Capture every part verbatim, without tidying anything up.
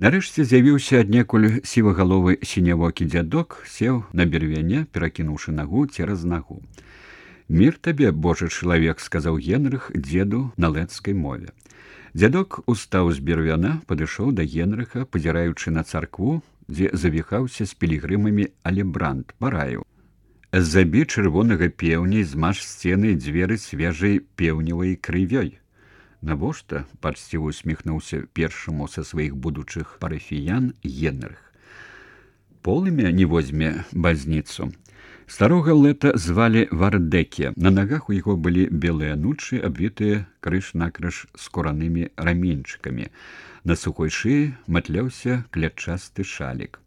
Нарэшце з'явіўся аднекуль сівагаловы сінявокі дзядок, сеў на бервяне, перакінуўшы нагу цераз нагу. «Мір табе, божы чалавек», — сказаў Генрых дзеду на лэцкай мове. Дзядок устаў з бервяна, падышоў да Генрыха, пазіраючы на царкву, дзе завіхаўся з пілігрымамі алебрант, параіў: «Забі чырвонага пеўня і змаж сцены і дзверы свежай пеўневай крывёй». «Навошта?» — пачціва усміхнуўся першаму са сваіх будучых парафіян Генрых. «Полымя не возьме базніцу». Старога лэта звалі Вардэке. На нагах у яго былі белыя анучы, абвітыя крыж-накрыж скуранымі раменьчыкамі. На сухой шыі матляўся клятчасты шалік.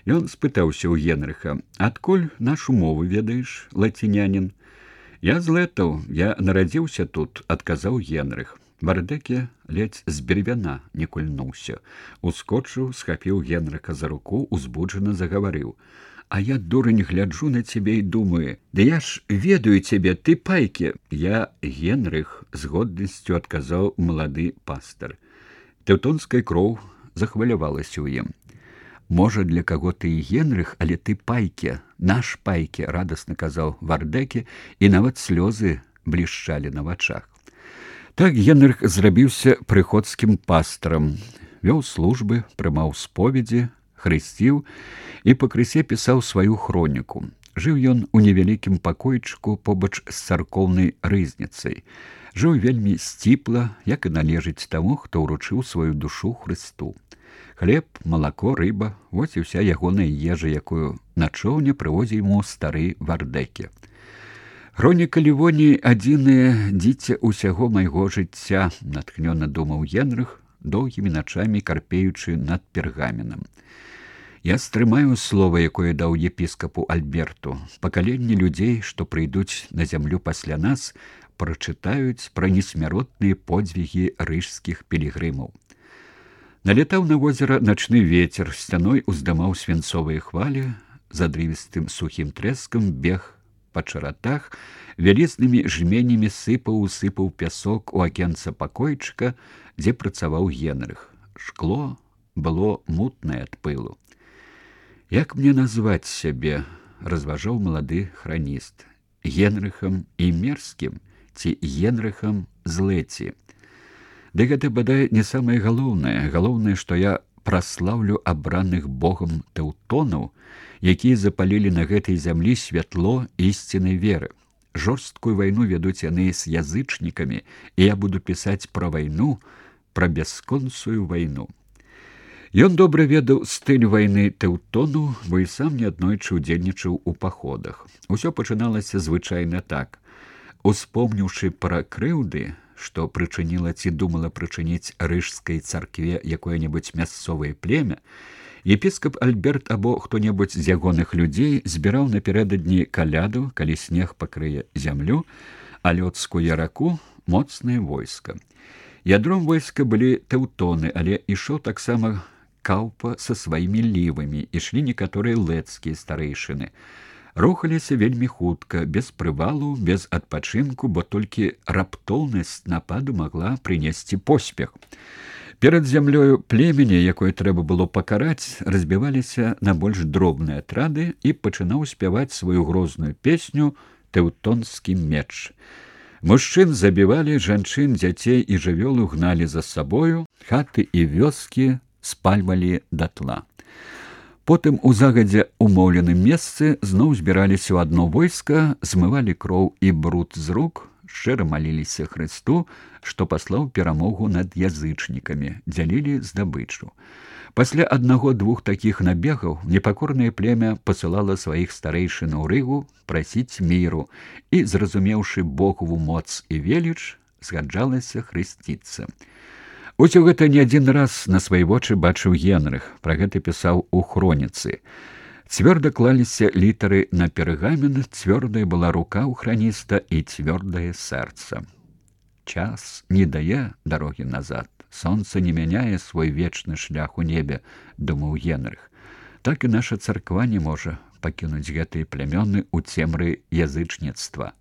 Ён спытаўся ў Генрыха: «Адкуль нашу мову ведаеш, лацінянін?» «Я з лэтаў, я нарадзіўся тут», — адказаў Генрых. Вардэке ледзь з бервяна не кульнуўся. Ускочыў, схапіў Генрыха за руку, узбуджана загаварыў: «А я, дурань, гляджу на цябе і думаю: да я ж ведаю цябе, ты пайкі!» «Я Генрых», — з годнасцю адказаў малады пастар. Тэўтонская кроў захвалявалася ў ім. «Можа, для каго ты і Генрых, але ты пайкі, наш пайкі», — радасна казаў Вардэке, і нават слёзы блішчалі на вачах. Так Генрых зрабіўся прыходскім пастарам, вёў службы, прымаў споведзі, хрысціў і пакрысе пісаў сваю хроніку. Жыў ён у невялікім пакойчыку побач з царкоўнай рызніцай. Жыў вельмі сціпла, як і належыць таму, хто ўручыў сваю душу Хрысту. Хлеб, малако, рыба — вось і ўся ягоная ежа, якую на чоўне прывозіў яму стары Вардэке. «Хроніка Лівоніі — адзінае дзіця ўсяго майго жыцця», — натхнёна думаў Генрых, доўгімі начамі карпеючы над пергаменам. «Я стрымаю слова, якое даў епіскапу Альберту. Пакаленні людзей, што прыйдуць на зямлю пасля нас, прачытаюць пра несмяротныя подзвігі рыжскіх пілігрымаў». Налетаў на возера начны вецер, сцяной уздымаў свінцовыя хвалі, задрывістым сухім трэскам бег па чаратах, вялізнымі жменямі сыпаў усыпаў пясок у акенца пакойчыка, дзе працаваў Генрых. Шкло было мутнае ад пылу. «Як мне назваць сябе?» — разважаў малады храніст. «Генрыхам і мерзкім ці Генрыхам злэці?» «Ды гэта, бадай, не самае галоўнае. Галоўнае, што я праслаўлю абраных Богам тэўтонаў, якія запалілі на гэтай зямлі святло ісціннай веры. Жорсткую вайну вядуць яны з язычнікамі, і я буду пісаць пра вайну, пра бясконцую вайну». Ён добра ведаў стыль вайны тэўтону, бо і сам неаднойчы ўдзельнічаў у паходах. Усё пачыналася звычайна так. Успомніўшы пра крыўды, што прычыніла ці думала прычыніць рыжскай царкве якое-небудзь мясцовае племя, епіскап Альберт або хто-небудзь з ягоных людзей збіраў напярэдадні каляду, калі снег пакрые зямлю, а лёдскую яраку — моцнае войска. Ядром войска былі тэўтоны, але ішоў таксама Каўпа са сваімі лівамі, ішлі некаторыя лэцкія старэйшыны. Рухаліся вельмі хутка, без прывалу, без адпачынку, бо толькі раптоўнасць нападу магла прынесці поспех. Перад зямлёю племені, якое трэба было пакараць, разбіваліся на больш дробныя атрады, і пачынаў спяваць сваю грозную песню «Тэўтонскі меч». Мужчын забівалі, жанчын, дзяцей і жывёлу гналі за сабою, хаты і вёскі спальвалі датла. Потым у загадзя умоўленым месцы зноў збіраліся ў адно войска, змывалі кроў і бруд з рук, шчыра маліліся Хрысту, што паслаў перамогу над язычнікамі, дзялілі здабычу. Пасля аднаго-двух такіх набегаў непакорнае племя пасылала сваіх старэйшын у Рыгу прасіць міру і, зразумеўшы Богову моц і веліч, згаджалася хрысціцца. Усё гэта не адзін раз на свае вочы бачыў Генрых, пра гэта пісаў у хроніцы. Цвёрда клаліся літары на пергамен, цвёрдая была рука ў храніста і цвёрдае сэрца. «Час не дае дарогі назад, сонца не мяняе свой вечны шлях у небе», — думаў Генрых. «Так і наша царква не можа пакінуць гэтыя плямёны ў цемры язычніцтва.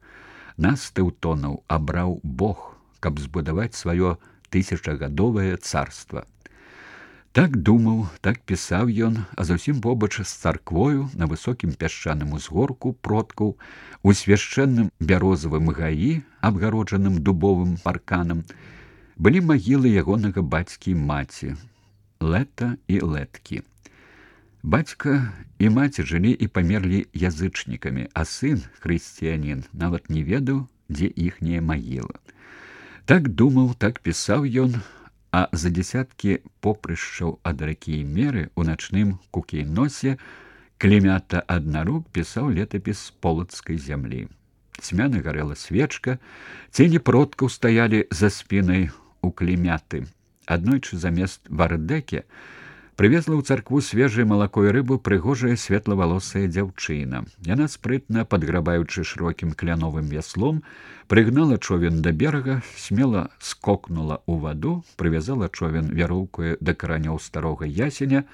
Нас, тэўтонаў, абраў Бог, каб збудаваць сваё тысячагадовае царства. Так думаў, так пісаў ён, а зусім побач з царквою на высокім пясчаным узгорку продкаў, у свяшчэнным бярозавым гаі, абгароджаным дубовым парканам, былі магілы ягонага бацькі і маці, Лета і Леткі. Бацька і маці жылі і памерлі язычнікамі, а сын, хрысціянін, нават не ведаў, дзе іхняя магіла. Так думаў, так пісаў ён, а за дзесяткі попрышчаў ад ракі і меры ў начным кукейносе Клемята Аднарук пісаў летапіс полацкай зямлі. Цьмяна гарэла свечка, цені продкаў стаялі за спінай у Клемяты. Аднойчы замест вардэкі прывезла ў царкву свежае малако і рыбу прыгожая светлавалосая дзяўчына. Яна спрытна, падграбаючы шырокім кляновым вяслом, прыгнала човен да берага, смела скокнула ў ваду, прывязала човен вяроўкаю да каранёў старога ясеня,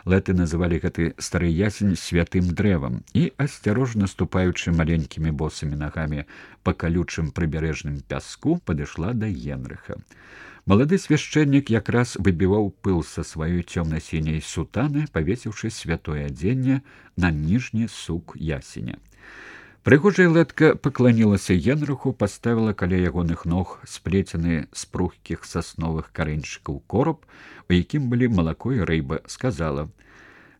Леты называлі гэты стары ясень святым дрэвам, і, асцярожна ступаючы маленькімі босымі нагамі па калючым прыбярэжным пяску, падышла да Генрыха. Малады свяшчэннік якраз выбіваў пыл са сваёй цёмна-сіняй сутаны, павесіўшы святое адзенне на ніжні сук ясеня. Прыгожая Летка пакланілася Генрыху, паставіла каля ягоных ног сплецены з прухкіх сасновых карэньчыкаў кораб, у якім былі малако і рыба, сказала: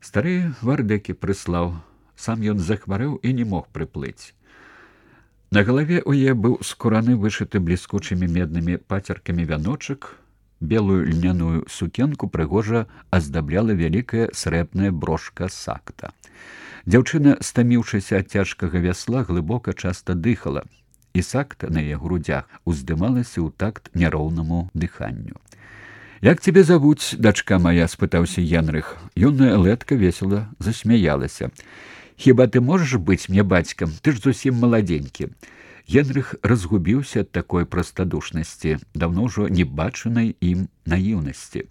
«Стары вардэкі прыслаў, сам ён захварэў і не мог прыплыць». На галаве ў яе быў скураны вышыты бліскучымі меднымі пацеркамі вяночак, белую льняную сукенку прыгожа аздабляла вялікая срэбная брошка сакта. Дзяўчына, стаміўшыся ад цяжкага вясла, глыбока часта дыхала, і сакта на яе грудях уздымалася ў такт няроўнаму дыханню. «Як цябе завуць, дачка моя?» — спытаўся Генрых. Юная Летка весела засмяялася. «Хіба ты можаш быць мне бацькам? Ты ж зусім маладзенькі». Генрых разгубіўся ад такой прастадушнасці, даўно ўжо не бачанай ім наіўнасці.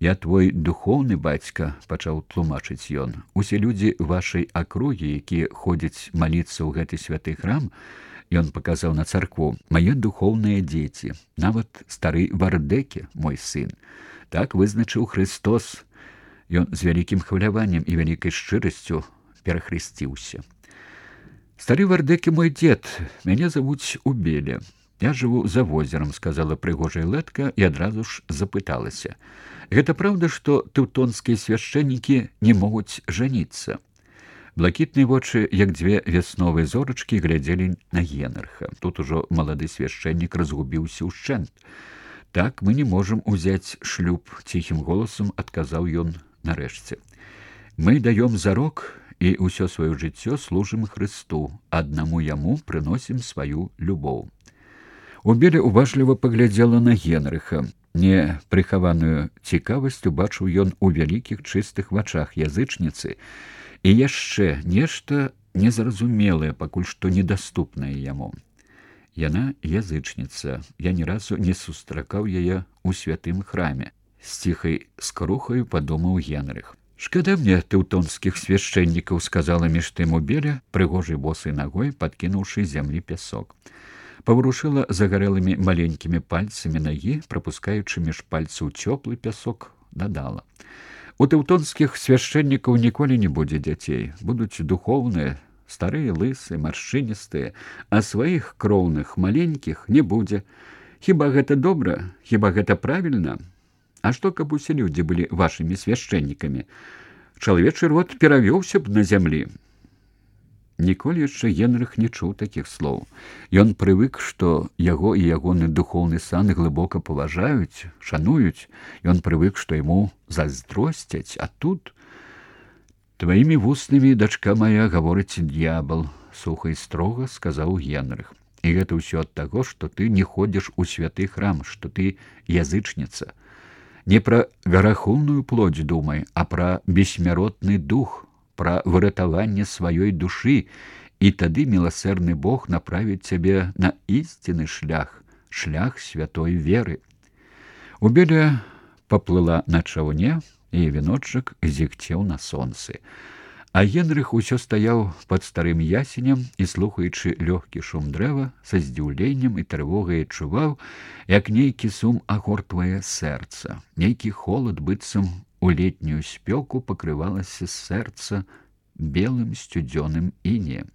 «Я твой духоўны бацька», — пачаў тлумачыць ён. «Усе людзі вашай акругі, якія ходзяць маліцца ў гэты святы храм», — ён паказаў на царкву, «мае духоўныя дзеці, нават стары вардэкі, мой сын. Так вызначыў Христос». Ён з вялікім хваляваннем і вялікай шчырасцю перахрысціўся. «Стары вардэкі мой дзед, мяне завуць Убеля. Я жыву за возерам», — сказала прыгожая Летка і адразу ж запыталася. «Гэта праўда, што тэўтонскія свяшчэннікі не могуць жаніцца?» Блакітныя вочы, як дзве вясновыя зорачкі, глядзелі на Генрыха. Тут ужо малады свяшчэннік разгубіўся ўшчэнт. «Так мы не можам узяць шлюб», — ціхім голасам адказаў ён нарэшце. «Мы даём зарок і ўсё сваё жыццё служым Хрысту, аднаму яму прыносім сваю любоў». Убеля уважліва паглядзела на Генрыха. Непрыхаваную цікавасць убачыў ён у вялікіх чыстых вачах язычніцы і яшчэ нешта незразумелае, пакуль што недаступнае яму. Яна язычніца. Я ні разу не сустракаў яе ў святым храме. З ціхай скрухаю падумаў Генрых. «Шкада мне тэўтонскіх свяшчэннікаў», — сказала між тым Убеля, прыгожай босай нагой падкінуўшы зямлі пясок. Паварушыла загарэлымі маленькімі пальцамі нагі, прапускаючы між пальцаў цёплы пясок, дадала: «У тэўтонскіх свяшчэннікаў ніколі не будзе дзяцей. Будуць духоўныя, старыя, лысыя, маршчыністыя, а сваіх кроўных маленькіх не будзе. Хіба гэта добра? Хіба гэта правільна? А што, каб усе людзі былі вашымі свяшчэннікамі? Чалавечы род перавёўся б на зямлі». Ніколі яшчэ Генрых не чуў такіх слоў. Ён прывык, што яго і ягоны духоўны сан глыбока паважаюць, шануюць. Ён прывык, што яму зайздросцяць, а тут... «Тваімі вуснамі, дачка моя, гаворыць д'ябал», — суха і строга сказаў Генрых. «І гэта ўсё ад таго, што ты не ходзіш у святы храм, што ты язычніца. Не пра гарахунную плоть думай, а пра бессмяротны дух, пра выратаванне сваёй душы, і тады міласэрны Бог направіць цябе на ісціны шлях, шлях святой веры». Убеля паплыла на чаўне, і віночак зігцеў на сонцы. А Генрых усё стаяў пад старым ясенем і, слухаючы лёгкі шум дрэва, са здзіўленнем і трывогай адчуваў, як нейкі сум агортвае сэрца. Нейкі холад, быццам у летнюю спёку, пакрывалася сэрца белым сцюдзёным інеем.